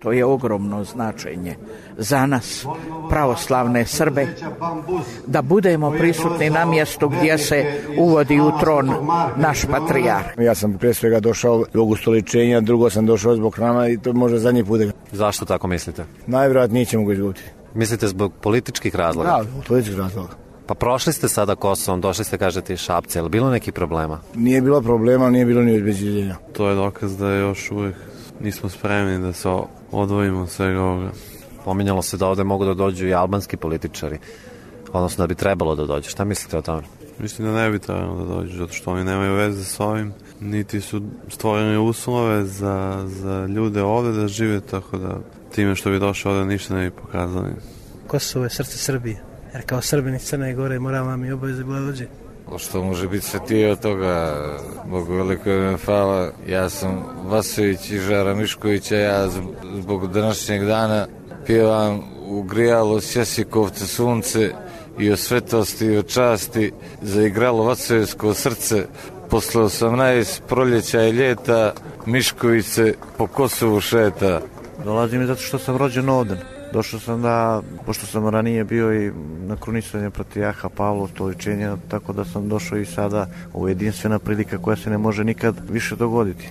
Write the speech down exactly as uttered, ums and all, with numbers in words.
To je ogromno značenje za nas, pravoslavne Srbe, da budemo prisutni na mjestu gdje se uvodi u tron naš patrijarh. Ja sam prije svega došao zbog ustoličenja, drugo sam došao zbog hrama i to možda zadnji put. Zašto tako mislite? Najvjerojatnije ćemo ga izgubiti. Mislite zbog političkih razloga? Da, zbog političkih razloga. Pa prošli ste sada Kosovom, došli ste, kažete, iz Šapca, je li bilo nekih problema? Nije bilo problema, nije bilo ni obezbeđenja. To je dokaz da još uvijek nismo spremni da se odvojimo od svega ovoga. Pominjalo se da ovde mogu da dođu i albanski političari, odnosno da bi trebalo da dođu. Šta mislite o tome? Mislim da ne bi trebalo da dođu, zato što oni nemaju veze s ovim, niti su stvorene uslove za, za ljude ovde da žive, tako da time što bi došao ovde ništa ne bi pokazali. Kosovo je srce Srbije, jer kao Srbini Crne Gore moramo vam i obaveze bila dođe. Što može biti svetije od toga, Bogu veliko ime hvala. Ja sam Vasović i Žara Miškovića, ja zbog današnjeg dana pjevam u grijalo Sjesikovce sunce i o svetosti i o časti zaigralo Vasovijsko srce. Posle osamnaest proljeća i ljeta Mišković po Kosovu šeta. Dolazim zato što sam rođen ovdje. Došao sam da, pošto sam ranije bio i na krunisanje patrijarha Pavla, ustoličenja, tako da sam došao i sada, ovo je jedinstvena prilika koja se ne može nikad više dogoditi.